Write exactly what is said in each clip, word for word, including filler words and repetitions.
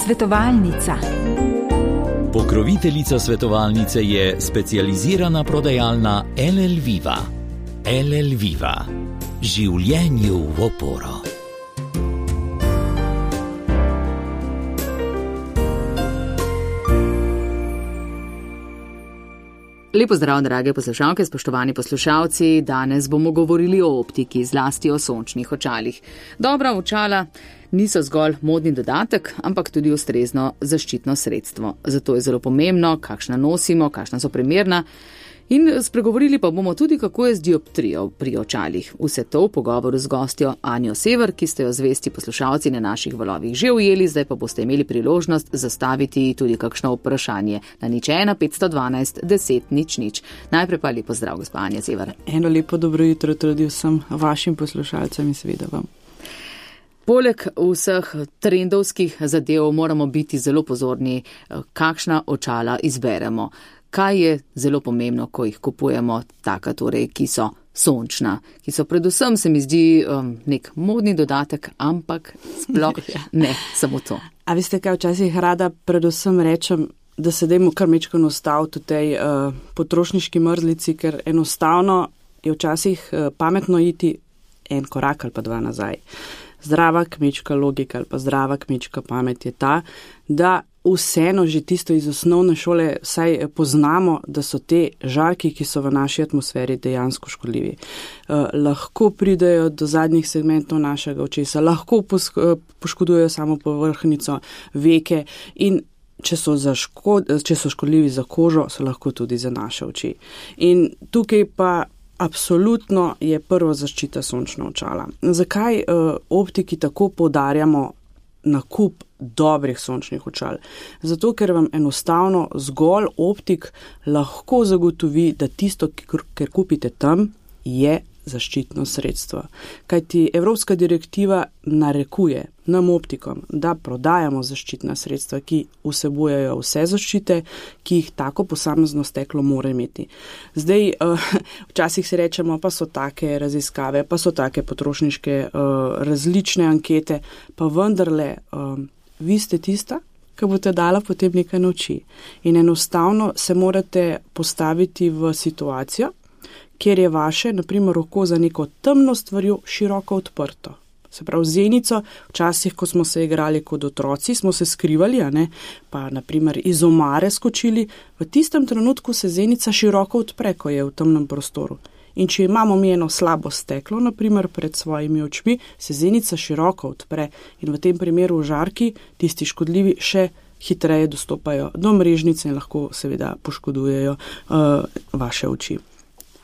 Svetovalnica. Pokroviteljica svetovalnice je specializirana prodajalna L L Viva. L L Viva. Življenju v oporo. Lepo zdrav, drage poslušalke, spoštovani poslušalci. Danes bomo govorili o optiki, zlasti o sončnih očalih. Dobra očala niso zgolj modni dodatek, ampak tudi ustrezno zaščitno sredstvo. Zato je zelo pomembno, kakšna nosimo, kakšna so primerna. In spregovorili pa bomo tudi, kako je z dioptrijo pri očalih. Vse to v pogovoru z gostjo Anjo Sever, ki ste jo zvesti poslušalci na naših valovih že ujeli, zdaj pa boste imeli priložnost zastaviti tudi kakšno vprašanje na nič ena petsto dvanajst deset nič nič. Najprej pa lepo zdrav, gospa Anja Sever. Eno lepo dobro jutro tudi vsem vašim poslušalcem in seveda vam. Poleg vseh trendovskih zadev moramo biti zelo pozorni, kakšna očala izberemo. Kaj je zelo pomembno, ko jih kupujemo, taka torej, ki so sončna, ki so predvsem, se mi zdi, um, nek modni dodatek, ampak sploh ne samo to. A veste kaj, včasih rada predvsem rečem, da se dajmo kar mečkano ustaviti v tej uh, potrošniški mrzlici, ker enostavno je včasih uh, pametno iti en korak ali pa dva nazaj. Zdrava kmečka logika ali pa zdrava kmečka pamet je ta, da vseeno že tisto iz osnovne šole saj poznamo, da so te žarki, ki so v naši atmosferi, dejansko škodljivi. Eh, lahko pridejo do zadnjih segmentov našega očesa, lahko poškodujejo samo povrhnjico, veke in če so, za škod, če so škodljivi za kožo, so lahko tudi za naše oči. In tukaj pa absolutno je prva zaščita sončna očala. Zakaj eh, optiki tako poudarjamo nakup dobrih sončnih očal? Zato, ker vam enostavno zgolj optik lahko zagotovi, da tisto, kar kupite tam, je zaščitno sredstvo. Kajti Evropska direktiva narekuje nam optikom, da prodajamo zaščitna sredstva, ki vsebujejo vse zaščite, ki jih tako posamezno steklo mora imeti. Zdaj, včasih si rečemo, pa so take raziskave, pa so take potrošniške različne ankete, pa vendarle vi ste tista, ki boste dala potem nekaj na oči. In enostavno se morate postaviti v situacijo, kjer je vaše, naprimer, oko za neko temno stvarjo široko odprto. Se pravi, zenico, včasih, ko smo se igrali kot otroci, smo se skrivali, a ne, pa naprimer iz omare skočili, v tistem trenutku se zenica široko odpre, ko je v temnem prostoru. In če imamo mi eno slabo steklo, naprimer pred svojimi očmi, se zenica široko odpre in v tem primeru žarki, tisti škodljivi, še hitreje dostopajo do mrežnice in lahko seveda poškodujejo uh, vaše oči.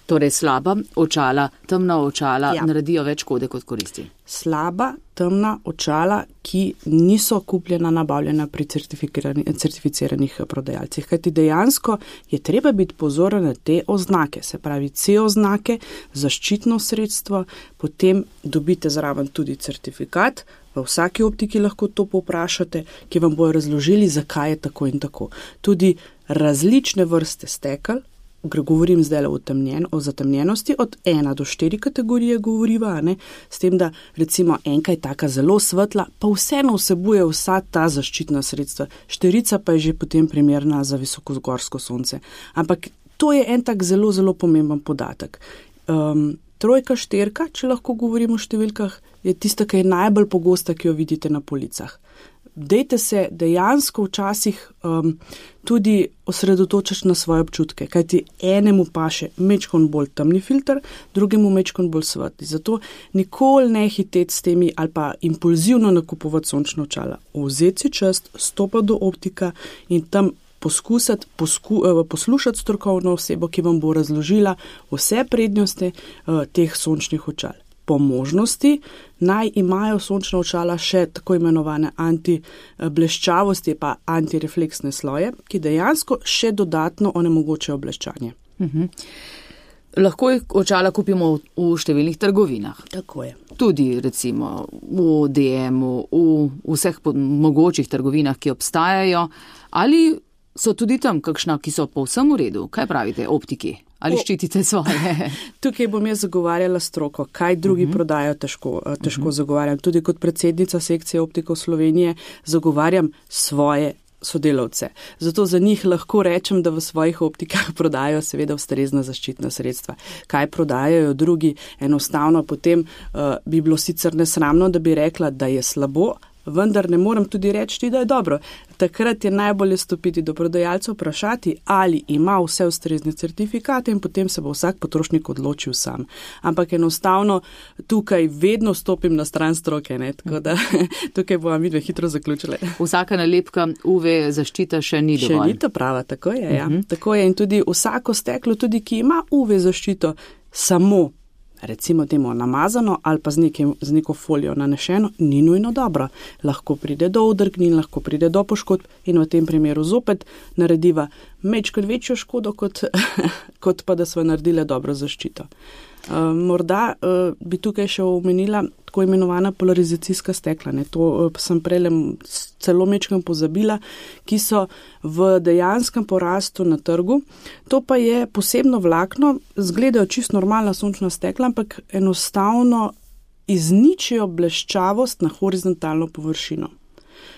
Torej slaba očala, temna očala ja. naredijo več škode kot koristi. Slaba, temna očala, ki niso kupljena, nabavljena pri certificiranih prodajalcih. Kajti dejansko je treba biti pozoren na te oznake, se pravi C oznake, zaščitno sredstvo, potem dobite zraven tudi certifikat, v vsaki optiki lahko to povprašate, ki vam bojo razložili, zakaj je tako in tako. Tudi različne vrste stekel, govorim zdaj o, temnjen, o zatemnjenosti, od ena do štiri kategorije govoriva, ne? S tem, da recimo enka je taka zelo svetla, pa vseeno vsebuje vsa ta zaščitna sredstva. Štirica pa je že potem primerna za visokozgorsko sonce. Ampak to je en tak zelo, zelo pomemben podatek. Um, trojka, štirka, če lahko govorimo o številkah, je tista, ki je najbolj pogosta, ki jo vidite na policah. Dejte se dejansko včasih um, tudi osredotočiti na svoje občutke, kajti enemu paše mečkon bolj temni filter, drugemu mečkon bolj svetli. Zato nikoli ne hiteti s temi ali pa impulzivno nakupovati sončna očala. Vzeti si čas, stopati do optika in tam poskusiti, posku, poslušati strokovno osebo, ki vam bo razložila vse prednosti uh, teh sončnih očal. Po možnosti naj imajo sončna očala še tako imenovane antibleščavosti pa antirefleksne sloje, ki dejansko še dodatno onemogočajo bleščanje. Uh-huh. Lahko jih očala kupimo v, v številnih trgovinah. Tako je. Tudi recimo v D M-u, v vseh mogočih trgovinah, ki obstajajo. Ali so tudi tam kakšna, ki so povsem v redu? Kaj pravite, optiki? ali ščitite svoje? Tukaj bom jaz zagovarjala stroko, kaj drugi uh-huh. prodajo, težko, težko uh-huh. zagovarjam. Tudi kot predsednica sekcije optikov Slovenije zagovarjam svoje sodelavce. Zato za njih lahko rečem, da v svojih optikah prodajo seveda ustrezna zaščitna sredstva. Kaj prodajajo drugi, enostavno potem uh, bi bilo sicer nesramno, da bi rekla, da je slabo, vendar ne morem tudi reči, da je dobro. Takrat je najbolje stopiti do prodajalca, vprašati, ali ima vse ustrezne certifikate in potem se bo vsak potrošnik odločil sam. Ampak enostavno tukaj vedno stopim na stran stroke, ne? Tako da tukaj bomo midve hitro zaključili. Vsaka nalepka U V zaščita še ni dovolj. Še ni to prava, tako je, ja. Uh-huh. Tako je in tudi vsako steklo, tudi ki ima U V zaščito, samo recimo temu namazano ali pa z, nekim, z neko folijo nanešeno, ni nujno dobro. Lahko pride do udrgnin, lahko pride do poškodb in v tem primeru zopet narediva mečkrat večjo škodo, kot, kot pa da smo naredile dobro zaščito. Uh, morda uh, bi tukaj še omenila tako imenovana polarizacijska stekla. Ne? To uh, sem prej celo mečkam pozabila, ki so v dejanskem porastu na trgu. To pa je posebno vlakno, zgledajo čisto normalna sončna stekla, ampak enostavno izničijo bleščavost na horizontalno površino.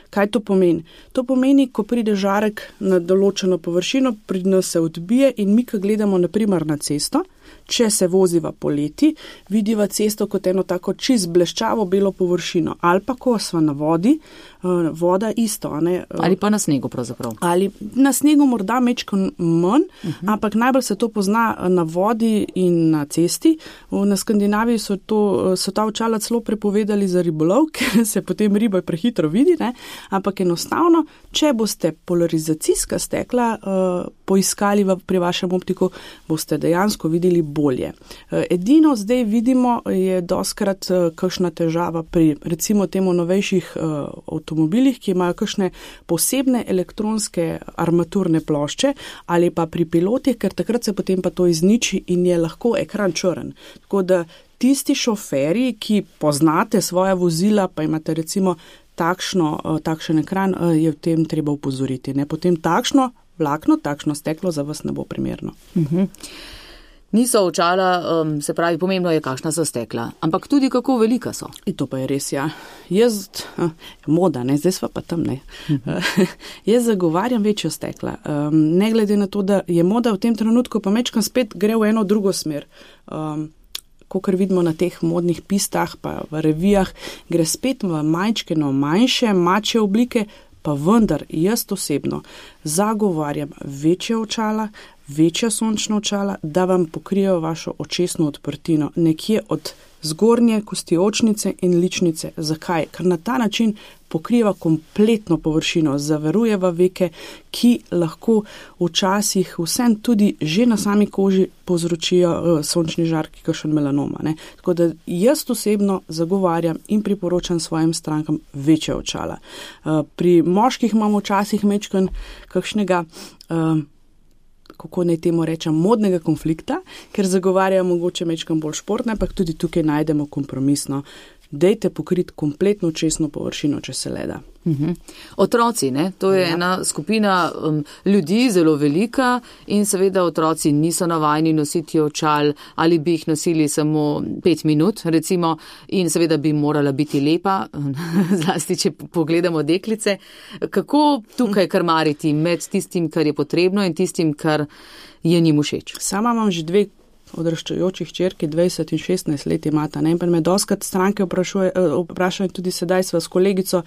Kaj to pomeni? To pomeni, ko pride žarek na določeno površino, pri nas se odbije in mi, ko gledamo na primer na cesto, če se voziva poleti, vidiva cesto kot eno tako čist bleščavo belo površino. Ali pa ko sva na vodi, voda isto. Ne? Ali pa na snegu pravzaprav. Ali na snegu morda mečko manj, uh-huh. ampak najbolj se to pozna na vodi in na cesti. Na Skandinaviji so, to, so ta očala celo prepovedali za ribolov, ker se potem riba prehitro vidi, ne? Ampak enostavno, če boste polarizacijska stekla uh, poiskali v, pri vašem optiku, boste dejansko videli bolje. Edino zdaj vidimo je doskrat kakšna težava pri recimo temu novejših avtomobilih, ki imajo kakšne posebne elektronske armaturne plošče ali pa pri pilotih, ker takrat se potem pa to izniči in je lahko ekran črn. Tako da tisti šoferji, ki poznate svoja vozila, pa imate recimo takšno, takšen ekran, je v tem treba upozoriti. Ne? Potem takšno vlakno, takšno steklo za vas ne bo primerno. Uh-huh. Niso očala, um, se pravi, pomembno je, kakšna so stekla, ampak tudi kako velika so. In to pa je res, ja. Jaz, uh, moda, ne, zdaj sva pa tam, ne. Uh-huh. Jaz zagovarjam večjo stekla. Um, ne glede na to, da je moda v tem trenutku, pa mečkam spet gre v eno drugo smer. Um, Kakor vidimo na teh modnih pistah, pa v revijah, gre spet v majčkeno manjše, mačje oblike, pa vendar jaz osebno zagovarjam večje očala, večja sončna očala, da vam pokrijejo vašo očesno odprtino nekje od zgornje kosti očnice in ličnice. Zakaj? Ker na ta način pokriva kompletno površino, zavarujeva veke, ki lahko včasih vsem tudi že na sami koži povzročijo uh, sončni žarki, kakšen melanoma. Ne? Tako da jaz osebno zagovarjam in priporočam svojim strankam večje očala. Uh, pri moških imamo včasih mečkan kakšnega uh, kako naj temu rečem, modnega konflikta, ker zagovarjajo mogoče mečkam bolj športne, pa tudi tukaj najdemo kompromisno. Dejte pokriti kompletno očesno površino, če se le da. Uhum. Otroci, ne? To je ja. ena skupina um, ljudi, zelo velika in seveda otroci niso navajeni nositi očal ali bi jih nosili samo pet minut, recimo, in seveda bi morala biti lepa, zlasti, če pogledamo deklice. Kako tukaj krmariti med tistim, kar je potrebno in tistim, kar je njim všeč? Sama imam že dve odraščajočih čerki, dvajset in šestnajst let imata. Ne? In me doskrat stranke vprašajo, tudi sedaj sva s kolegico,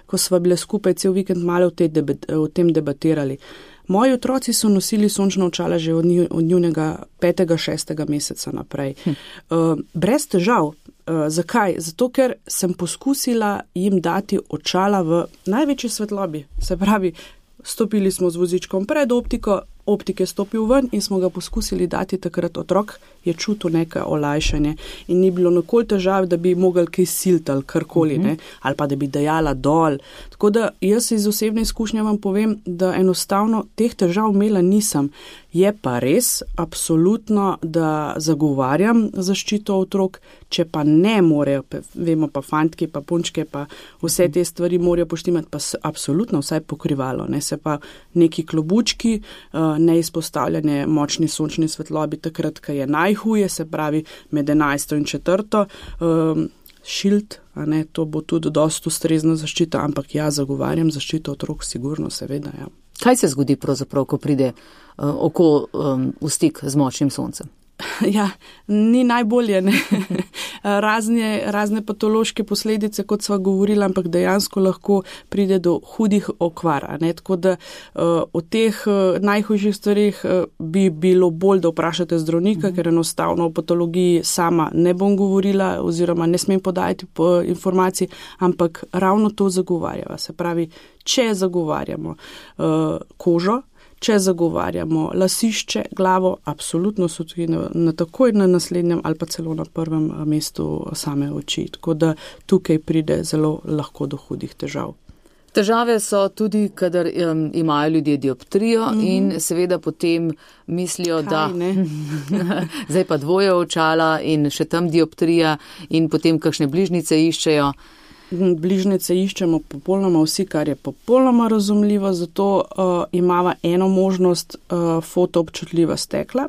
ko sva bile skupaj cel vikend malo v, debat, v tem debatirali. Moji otroci so nosili sončna očala že od, nju, od njunega petega, šestega meseca naprej. Hm. Uh, brez težav. Uh, zakaj? Zato, ker sem poskusila jim dati očala v največji svetlobi. Se pravi, stopili smo z vozičkom pred optiko, optik je stopil ven in smo ga poskusili dati takrat. Otrok je čutil nekaj olajšanje in ni bilo nikoli težav, da bi mogli kaj siliti ali karkoli, ne? Ali pa da bi dajala dol. Tako da jaz iz osebne izkušnje vam povem, da enostavno teh težav imela nisem. Je pa res, absolutno, da zagovarjam zaščito otrok, če pa ne morejo, vemo pa fantke, pa punčke, pa vse te stvari morajo poštimati, pa absolutno vsaj pokrivalo, ne? Se pa neki klobučki, neizpostavljanje močni sončni svetlobi takrat, ko je najhuje, se pravi med enajsto in četrto. Um, Šild, a ne, to bo tudi dosti ustrezna zaščita, ampak ja, zagovarjam zaščito otrok, sigurno, seveda, ja. Kaj se zgodi pravzaprav, ko pride uh, oko um, v stik z močnim soncem? Ja, ni najbolje, ne. razne, razne patološke posledice, kot sva govorila, ampak dejansko lahko pride do hudih okvar, a ne, tako da uh, o teh uh, najhujših stvarih uh, bi bilo bolj, da vprašate zdravnika, mm. ker enostavno o patologiji sama ne bom govorila oziroma ne smem podajati po informacij, ampak ravno to zagovarjava. Se pravi, če zagovarjamo uh, kožo, če zagovarjamo lasišče, glavo, absolutno so tudi na, na takoj na naslednjem ali pa celo na prvem mestu same oči. Tako da tukaj pride zelo lahko do hudih težav. Težave so tudi, kadar um, imajo ljudje dioptrijo mm-hmm. in seveda potem mislijo, Kaj, da zdaj pa dvoje očala in še tam dioptrija in potem kakšne bližnjice iščejo. Bližnjice iščemo popolnoma vsi, kar je popolnoma razumljivo, zato uh, imava eno možnost uh, fotoobčutljiva stekla.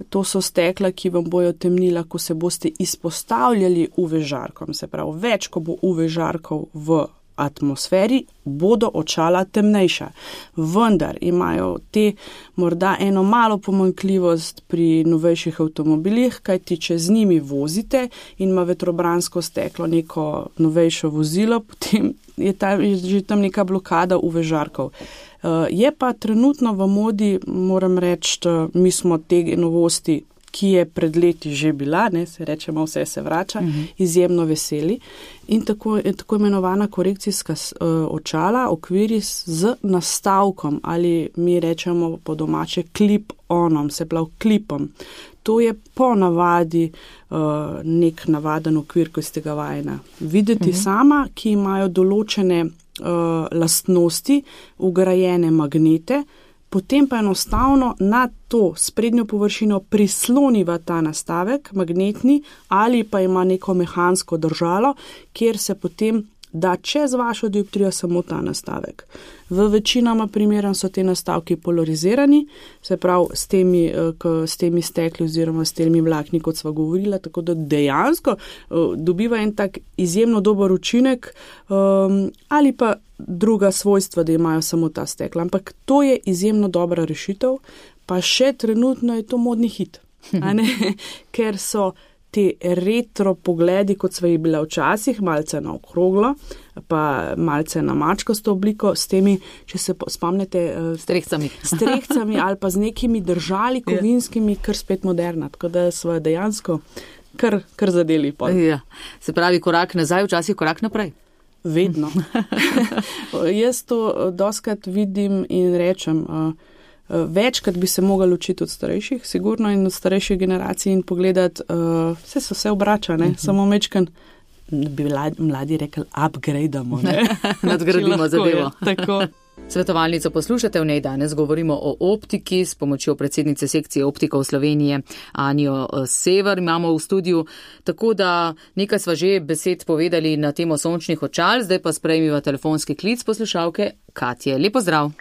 To so stekla, ki vam bojo temnila, ko se boste izpostavljali U V žarkom. Se pravi, več, ko bo U V žarkov v atmosferi, bodo očala temnejša. Vendar imajo te morda eno malo pomanjkljivost pri novejših avtomobilih, kajti če z njimi vozite in ima vetrobransko steklo neko novejšo vozilo, potem je, ta, je že tam neka blokada U V žarkov. Uh, je pa trenutno v modi, moram reči, mi smo te novosti, ki je pred leti že bila, ne, se rečemo, vse se vrača, uh-huh. izjemno veseli. In tako, tako imenovana korekcijska uh, očala, okviris z nastavkom ali mi rečemo po domače clip-onom, se pravi klipom. To je po navadi uh, nek navaden okvir, ko ste ga vajena videti uh-huh. sama, ki imajo določene uh, lastnosti, ugrajene magnete, potem pa enostavno na to sprednjo površino prisloniva ta nastavek, magnetni, ali pa ima neko mehansko držalo, kjer se potem da čez vašo dioptrijo samo ta nastavek. V večinoma primerah so te nastavki polarizirani, se pravi s temi, s temi stekli oziroma s temi vlakni, kot sva govorila, tako da dejansko dobiva en tak izjemno dober učinek um, ali pa druga svojstva, da imajo samo ta stekla. Ampak to je izjemno dobra rešitev, pa še trenutno je to modni hit, a ne? Ker so te retro pogledi, kot sva jih bila včasih, malce na okroglo, pa malce na mačkasto obliko, s temi, če se spomnite, strehcami. strehcami ali pa z nekimi držali kovinskimi, kar spet moderna, tako da sva dejansko kar, kar zadeli. Ja. Se pravi, korak nazaj, včasih korak naprej. Vedno. Jaz to doskrat vidim in rečem, večkrat bi se mogli učiti od starejših, sigurno in od starejših generacij in pogledati, uh, vse se vse obrača, ne? Uh-huh. Samo mečkan, bi mladi rekli, upgradeamo, ne? Nadgradimo zadevo. Tako. Svetovalnico poslušate, v njej danes govorimo o optiki s pomočjo predsednice sekcije optikov Slovenije Anjo Sever. Imamo v studiu, tako da nekaj sva že besed povedali na temo sončnih očal, zdaj pa sprejmiva telefonski klic poslušalke Katje. Lep pozdrav.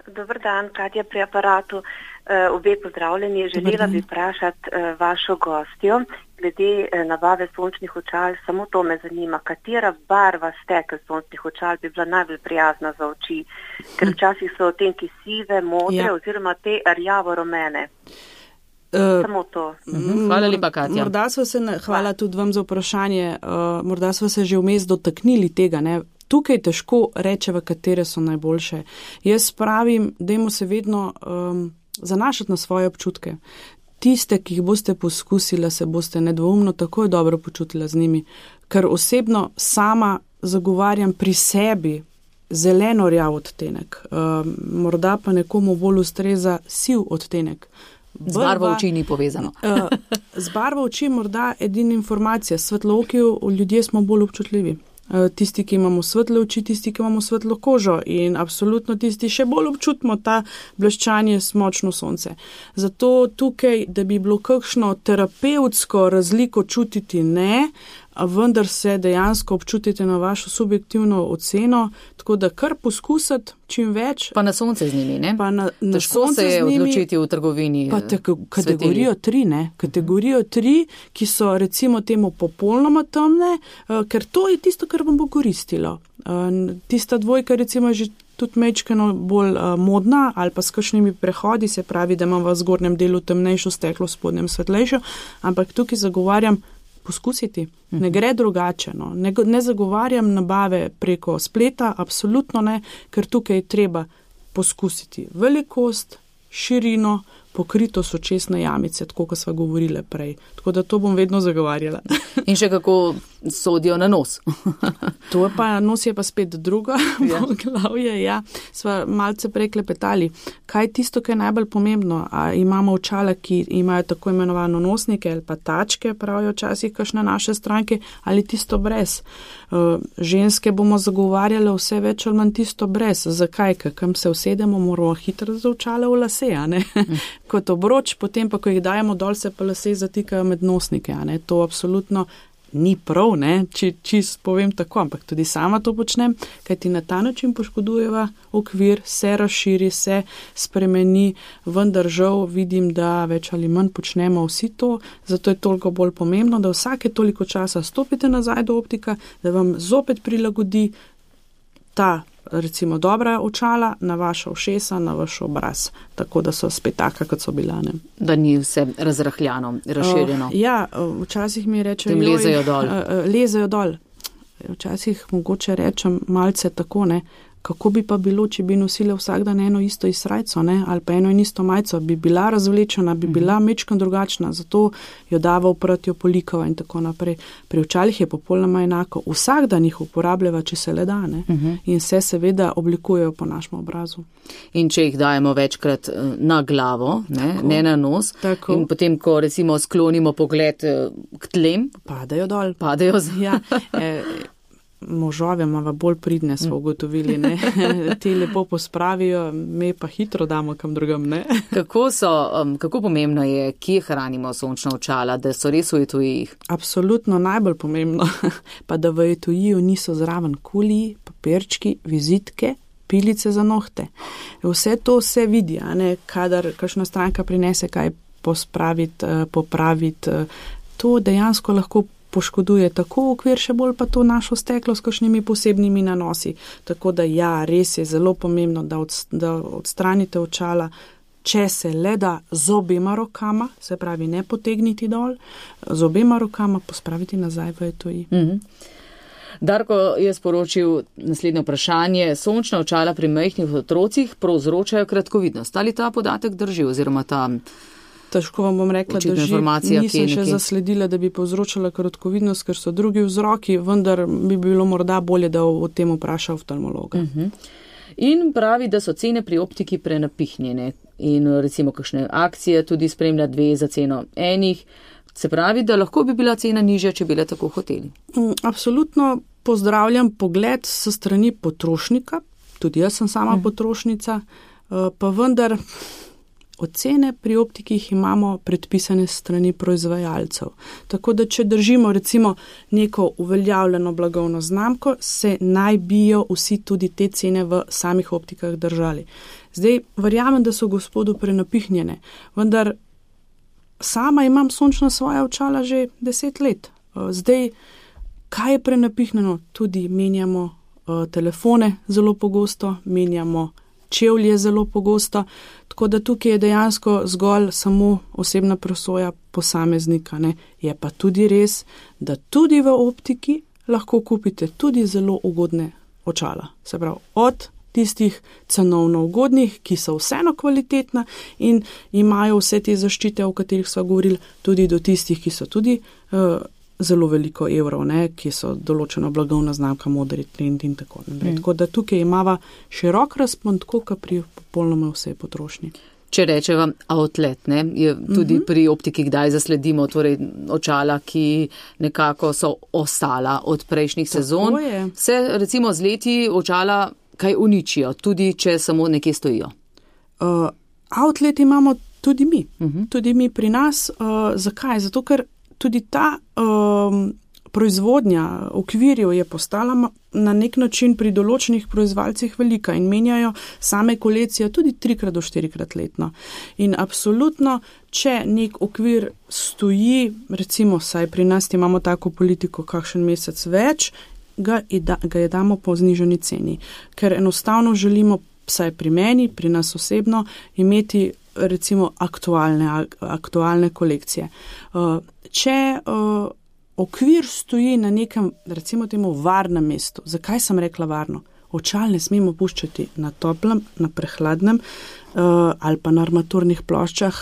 Dobar dan, Katja pri aparatu. Uh, obe pozdravljeni. Želela bi vprašati uh, vašo gostjo glede uh, nabave sončnih očal. Samo to me zanima, katera barva stekel sončnih očal bi bila najbolj prijazna za oči, ker včasih so odtenki sive, modre ja. oziroma te rjavo-rumene. Uh, Samo to. Uh-huh. Hvala lepa, Katja. Morda so se, hvala tudi vam za vprašanje, uh, morda so se že vmes dotaknili tega, ne? Tukaj težko rečeva, katere so najboljše. Jaz pravim, dajmo se vedno um, zanašati na svoje občutke. Tiste, ki jih boste poskusila, se boste nedvoumno takoj dobro počutila z njimi, ker osebno sama zagovarjam pri sebi zeleno rjav odtenek. Um, morda pa nekomu bolj ustreza siv odtenek. Z barvo oči ni povezano. uh, z barvo oči morda edina informacija. Svetlooki ljudje smo bolj občutljivi. Tisti, ki imamo svetle oči, tisti, ki imamo svetlo kožo in absolutno tisti še bolj občutimo ta bleščanje močno sonce. Zato tukaj, da bi bilo kakšno terapevtsko razliko čutiti, ne, vendar se dejansko občutite na vašo subjektivno oceno, tako da kar poskusiti čim več. Pa na sonce z njimi, ne? Pa na, na Težko se je odločiti v trgovini. Pa te, kategorijo tri, ne? Kategorijo tri, ki so recimo temu popolnoma temne, ker to je tisto, kar vam bo koristilo. Tista dvojka recimo že tudi mečkano bolj uh, modna ali pa s kakšnimi prehodi, se pravi, da imam v zgornjem delu temnejšo steklo, v spodnjem svetlejšo, ampak tukaj zagovarjam poskusiti. Ne gre drugače. No. Ne, ne zagovarjam nabave preko spleta, absolutno ne, ker tukaj je treba poskusiti velikost, širino, pokritost očesne jamice, tako kot sva govorile prej. Tako da to bom vedno zagovarjala. In še kako sodijo na nos. To je pa, nos je pa spet druga, ja. Glavje, ja. Sva malce preklepetali. Kaj je tisto, kaj je najbolj pomembno? A imamo očala, ki imajo tako imenovano nosnike ali pa tačke, pravijo včasih kakšne naše stranke, ali tisto brez. Uh, ženske bomo zagovarjale vse več ali manj tisto brez. Zakaj? Kam se usedemo, moramo hitro za očale v lase, a ne? Kot obroč, potem pa, ko jih dajemo dol, se pa lase zatikajo med nosnike, a ne? To absolutno ni prav, ne, či, čist povem tako, ampak tudi sama to počnem, kaj ti na ta način poškodujeva okvir, se razširi, se spremeni, vendar žal vidim, da več ali manj počnemo vsi to, zato je toliko bolj pomembno, da vsake toliko časa stopite nazaj do optika, da vam zopet prilagodi ta recimo dobra očala na vaša ušesa, na vaš obraz, tako da so spet taka, kot so bila. Ne? Da ni vse razrahljano, razširjeno. Uh, ja, včasih mi rečejo, tem lezejo dol. Uh, lezejo dol. Včasih mogoče rečem malce tako, ne, kako bi pa bilo, če bi nosile vsak dan eno isto izsrajco, ne, ali pa eno in isto majco, bi bila razvlečena, bi bila mečkan drugačna, zato jo dava uprati, jo polikava in tako naprej. Pri očalih je popolnoma enako. Vsak dan jih uporabljava, če se le da, ne, uh -huh. in se seveda oblikujejo po našem obrazu. In če jih dajemo večkrat na glavo, ne, ne na nos, tako. In potem, ko recimo sklonimo pogled k tlem, padajo dol. Padajo z... ja, eh, možove imamo bolj pridne, smo ugotovili, ne. Te lepo pospravijo, me pa hitro damo kam drugam, ne. Kako so, um, kako pomembno je, kje hranimo sončna očala, da so res v etujih? Absolutno najbolj pomembno, pa da v etujiju niso zraven kuliji, papirčki, vizitke, pilice za nohte. Vse to se vidi, a ne, kadar kakšna stranka prinese kaj pospraviti, popraviti, to dejansko lahko poškoduje tako okvir, še bolj pa to našo steklo s kakšnimi posebnimi nanosi. Tako da ja, res je zelo pomembno, da, od, da odstranite očala, če se le da z obema rokama, se pravi ne potegniti dol, z obema rokama pospraviti nazaj v etuji. Mm-hmm. Darko je sporočil naslednje vprašanje. Sončna očala pri majhnih otrocih povzročajo kratkovidnost. Ali ta podatek drži oziroma ta... Težko vam bom rekla, da že nisem še zasledila, da bi povzročala kratkovidnost, ker so drugi vzroki, vendar bi bilo morda bolje, da o tem vpraša oftalmologa. Uh-huh. In pravi, da so cene pri optiki prenapihnjene in recimo kakšne akcije tudi spremlja dve za ceno enih. Se pravi, da lahko bi bila cena nižja, če bi le tako hoteli. Absolutno pozdravljam pogled s strani potrošnika, tudi jaz sem sama uh-huh. potrošnica, pa vendar... Ocene pri optikih imamo predpisane strani proizvajalcev. Tako da, če držimo recimo neko uveljavljeno blagovno znamko, se naj bijo vsi tudi te cene v samih optikah držali. Zdaj, verjamem, da so gospodu prenapihnjene, vendar sama imam sončna svoja očala že deset let. Zdaj, kaj je prenapihnjeno? Tudi menjamo uh, telefone zelo pogosto, menjamo čevlje zelo pogosto, tako da tukaj je dejansko zgolj samo osebna presoja posameznika. Ne. Je pa tudi res, da tudi v optiki lahko kupite tudi zelo ugodne očala. Se pravi, od tistih cenovno ugodnih, ki so vseeno kvalitetna in imajo vse te zaščite, o katerih sva govorili, tudi do tistih, ki so tudi uh, zelo veliko evrov, ne, ki so določeno blagovna znamka, modri trend in tako naprej. Mm. Tako da tukaj imava širok razpon, tako kot pri popolnoma vsej potrošnji. Če rečeva outlet, ne, je tudi mm-hmm. pri optiki kdaj zasledimo torej očala, ki nekako so ostala od prejšnjih tako sezon. Je. Se recimo z leti očala kaj uničijo, tudi če samo nekje stojijo? Uh, outlet imamo tudi mi. Mm-hmm. Tudi mi pri nas. Uh, zakaj? Zato, ker tudi ta um, proizvodnja okvirjev je postala na nek način pri določenih proizvajalcih velika in menjajo same kolekcije tudi trikrat do štirikrat letno. In absolutno, če nek okvir stoji, recimo, saj pri nas imamo tako politiko kakšen mesec več, ga, ga je damo po znižani ceni, ker enostavno želimo, saj pri meni, pri nas osebno, imeti recimo aktualne, aktualne kolekcije. Če okvir stoji na nekem, recimo temu, varnem mestu. Zakaj sem rekla varno? Očal ne smemo puščati na toplem, na prehladnem uh, ali pa na armaturnih ploščah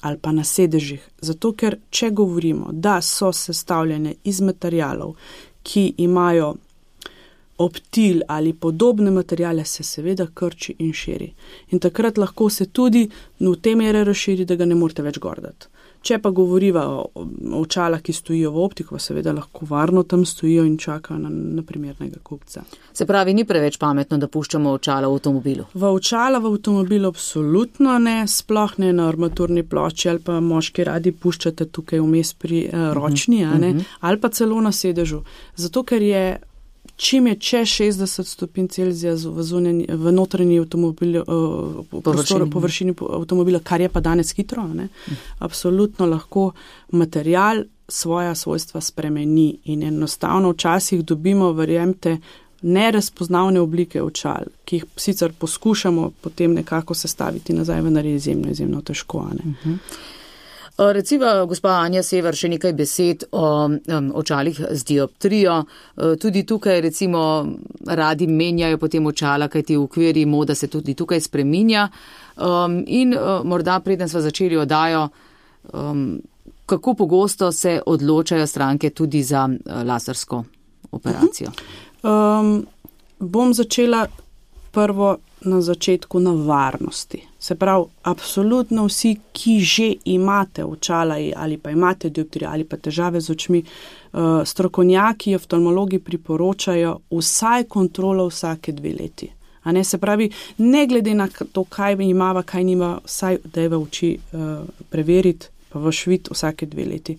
ali pa na sedežih. Zato, ker če govorimo, da so sestavljene iz materialov, ki imajo optil ali podobne materijale, se seveda krči in širi. In takrat lahko se tudi v te mere razširi, da ga ne morete več gordati. Če pa govoriva o očalah, ki stojijo v optiku, seveda lahko varno tam stojijo in čakajo na, na primernega kupca. Se pravi, ni preveč pametno, da puščamo očala v avtomobilu? V očala v avtomobilu absolutno ne, sploh ne na armaturni plošči ali pa moški radi puščate tukaj vmes pri uh, ročni, uh -huh, a ne, uh -huh. ali pa celo na sedežu. Zato, ker je čim je čez šestdeset stopinj Celzija v, zunanji, v notranji avtomobil, uh, prostoru, površini avtomobila, kar je pa danes hitro, ne, mm. absolutno lahko material svoja svojstva spremeni in enostavno včasih dobimo, verjemte, nerazpoznavne oblike očal, ki jih sicer poskušamo potem nekako sestaviti nazaj, vendar je izjemno, izjemno težko. Ne. Mm-hmm. Recimo, gospa Anja Sever, še nekaj besed o um, očalih z dioptrijo. Tudi tukaj, recimo, radi menjajo potem očala, kajti v okviri moda se tudi tukaj spreminja. Um, in uh, morda preden sva začeli oddajo, um, kako pogosto se odločajo stranke tudi za uh, lasersko operacijo? Um, bom začela prvo na začetku na varnosti. Se pravi, absolutno vsi, ki že imate očala ali pa imate dioptrijo ali pa težave z očmi, uh, strokovnjaki, oftalmologi priporočajo vsaj kontrolo vsake dve leti. A ne, se pravi, ne glede na to, kaj imava, kaj nima, vsaj dajva oči uh, preveriti, pa vaš vid vsake dve leti.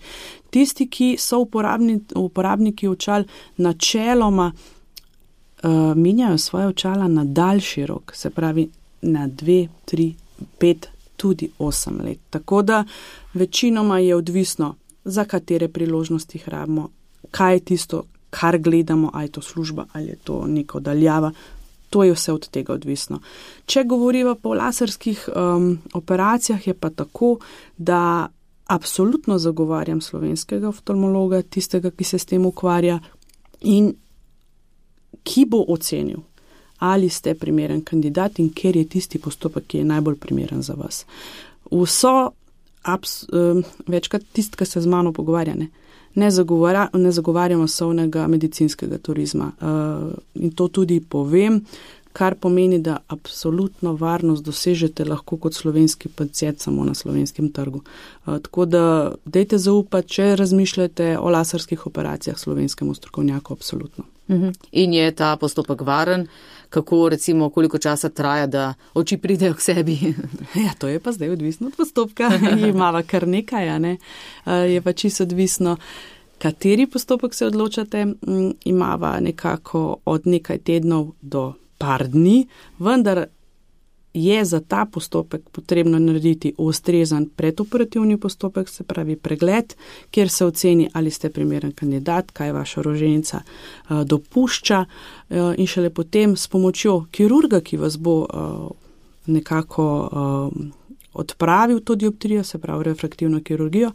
Tisti, ki so uporabni, uporabniki očal, načeloma Uh, menjajo svoje očala na daljši rok, se pravi na dve, tri, pet, tudi osem let. Tako da večinoma je odvisno, za katere priložnosti rabimo, kaj je tisto, kar gledamo, ali je to služba, ali je to neko daljava. To je vse od tega odvisno. Če govoriva po laserskih um, operacijah, je pa tako, da absolutno zagovarjam slovenskega oftalmologa, tistega, ki se s tem ukvarja in ki bo ocenil, ali ste primeren kandidat in ker je tisti postopek, ki je najbolj primeren za vas. Vso, abs, um, večkrat tisti, ki se z mano pogovarja, ne, ne, zagovarja, ne zagovarjamo masovnega medicinskega turizma. Uh, in to tudi povem, kar pomeni, da absolutno varnost dosežete lahko kot slovenski pacient samo na slovenskem trgu. Uh, tako da dajte zaupati, če razmišljate o laserskih operacijah slovenskemu strokovnjaku, absolutno. In je ta postopek varen? Kako, recimo, koliko časa traja, da oči pridejo k sebi? Ja, to je pa zdaj odvisno od postopka. Imava kar nekaj, a ne? Je pa čisto odvisno, kateri postopek se odločate. Imava nekako od nekaj tednov do par dni, vendar je za ta postopek potrebno narediti ustrezan predoperativni postopek, se pravi pregled, kjer se oceni, ali ste primeren kandidat, kaj vaša roženica uh, dopušča uh, in šele potem s pomočjo kirurga, ki vas bo uh, nekako uh, odpravil to dioptrijo, se pravi refraktivno kirurgijo,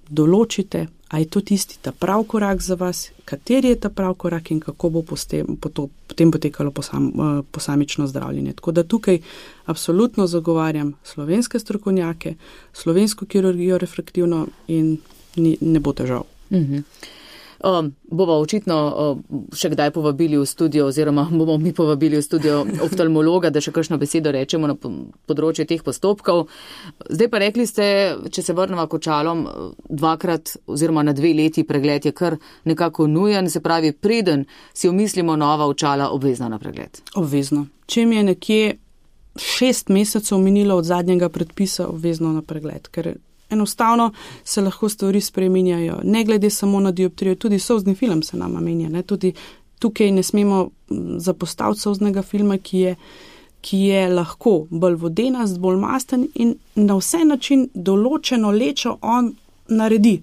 določite, a je to tisti ta prav korak za vas, kateri je ta prav korak in kako bo potem potekalo posam, posamično zdravljenje. Tako da tukaj absolutno zagovarjam slovenske strokovnjake, slovensko kirurgijo refraktivno in ni, ne bo težav. Mhm. Um, bova očitno um, še kdaj povabili v studio oziroma bomo mi povabili v studio oftalmologa, da še kakšno besedo rečemo na področju teh postopkov. Zdaj pa rekli ste, če se vrnemo k očalom, dvakrat oziroma na dve leti pregled je kar nekako nujen, se pravi, preden si omislimo nova očala, obvezno na pregled. Obvezno. Če mi je nekje šest mesecev minilo od zadnjega predpisa, obvezno na pregled, ker enostavno se lahko stvari spreminjajo. Ne glede samo na dioptrijo, tudi solzni film se nama menja. Ne? Tudi tukaj ne smemo zapostaviti solznega filma, ki je, ki je lahko bolj vodenast, bolj masten in na vse način določeno lečo on naredi.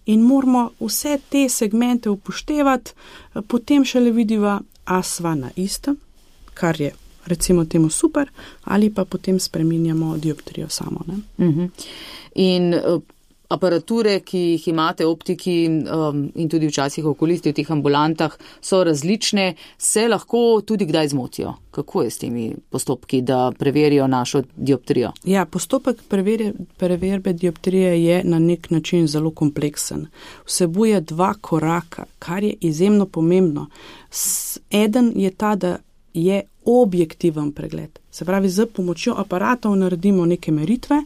In moramo vse te segmente upoštevati, potem šele vidiva, a sva na istem, kar je recimo temu super, ali pa potem spreminjamo dioptrijo samo. Ne? Uh-huh. In uh, aparature, ki jih imate, optiki um, in tudi včasih okulisti v teh ambulantah, so različne, se lahko tudi kdaj zmotijo. Kako je s temi postopki, da preverijo našo dioptrijo? Ja, postopek preverje, preverbe dioptrije je na nek način zelo kompleksen. Vsebuje dva koraka, kar je izjemno pomembno. S, eden je ta, da je objektiven pregled. Se pravi, z pomočjo aparatov naredimo neke meritve,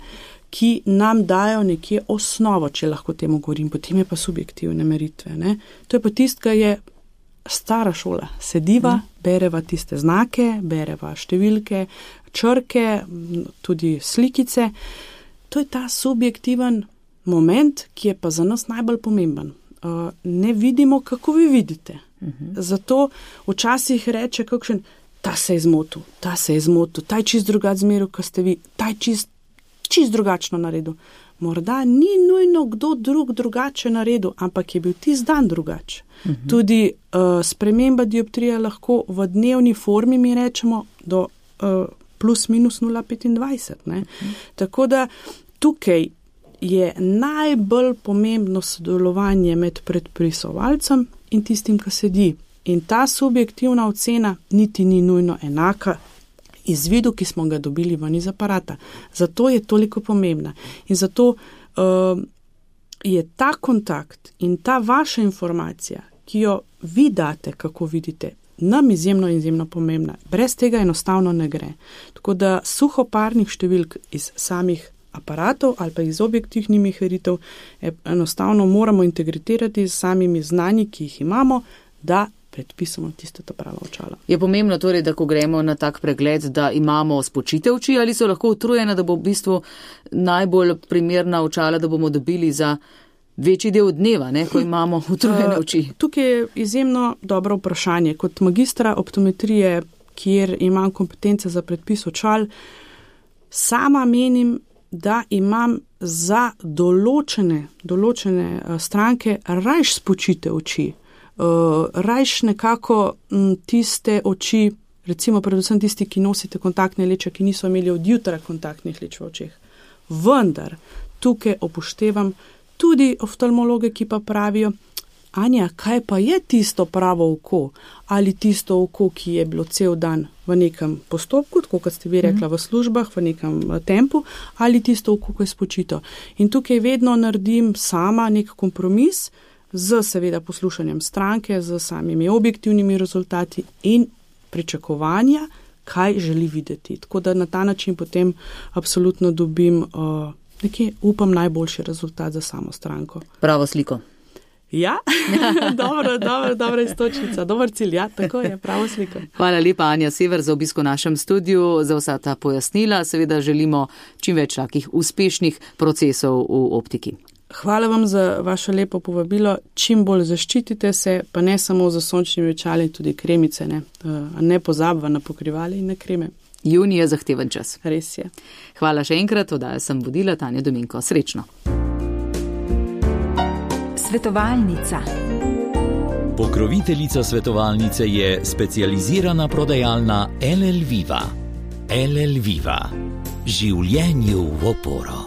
ki nam dajo nekje osnovo, če lahko temu govorim, potem je pa subjektivne meritve. Ne? To je pa tist, ki je stara šola. Sediva, mm. bereva tiste znake, bereva številke, črke, tudi slikice. To je ta subjektiven moment, ki je pa za nas najbolj pomemben. Uh, ne vidimo, kako vi vidite. Mm-hmm. Zato včasih reče kakšen, ta se je zmotil, ta se je zmotil, ta je čist drugač zmeril, ko ste vi, ta je čist čist drugačno naredil. Morda ni nujno kdo drug drugače naredil, ampak je bil tisti dan drugač. Uh-huh. Tudi uh, sprememba dioptrije lahko v dnevni formi, mi rečemo, do uh, plus minus nula celih petindvajset. Ne? Uh-huh. Tako da tukaj je najbolj pomembno sodelovanje med predpisovalcem in tistim, ki sedi. In ta subjektivna ocena niti ni nujno enaka izvidu, ki smo ga dobili ven iz aparata. Zato je toliko pomembna. In zato uh, je ta kontakt in ta vaša informacija, ki jo vi date, kako vidite, nam izjemno, izjemno pomembna. Brez tega enostavno ne gre. Tako da suhoparnih številk iz samih aparatov ali pa iz objektivnih meritev enostavno moramo integrirati s samimi znanji, ki jih imamo, da predpisamo tiste ta prava očala. Je pomembno torej, da ko gremo na tak pregled, da imamo spočite oči ali so lahko utrujene, da bo v bistvu najbolj primerna očala, da bomo dobili za večji del dneva, ne, ko imamo utrujene oči? Uh, tukaj je izjemno dobro vprašanje. Kot magistra optometrije, kjer imam kompetence za predpis očal, sama menim, da imam za določene, določene stranke rajš spočite oči. Uh, rajš nekako m, tiste oči, recimo predvsem tisti, ki nosite kontaktne leče, ki niso imeli od jutra kontaktnih leč v očeh. Vendar tukaj upoštevam tudi oftalmologe, ki pa pravijo, Anja, kaj pa je tisto pravo oko? Ali tisto oko, ki je bilo cel dan v nekem postopku, tako kot ste vi rekla, v službah, v nekem tempu, ali tisto oko, ko je spočito. In tukaj vedno naredim sama nek kompromis z seveda poslušanjem stranke, z samimi objektivnimi rezultati in pričakovanja, kaj želi videti. Tako da na ta način potem absolutno dobim uh, nekje, upam, najboljši rezultat za samo stranko. Pravo sliko. Ja, dobro, dobro, dobra istočnica, dober cilj, ja, tako je, pravo sliko. Hvala lepa, Anja Sever, za obisko v našem studiu, za vsa ta pojasnila. Seveda želimo čim več takih uspešnih procesov v optiki. Hvala vam za vaše lepo povabilo. Čim bolj zaščitite se, pa ne samo za sončnimi očali, tudi kremice, ne, ne pozabva na pokrivali in na kreme. Junij je zahteven čas. Res je. Hvala še enkrat, oddajo sem vodila Tanja Dominko. Srečno. Svetovalnica. Pokroviteljica svetovalnice je specializirana prodajalna L L Viva. L L Viva. Življenju v oporo.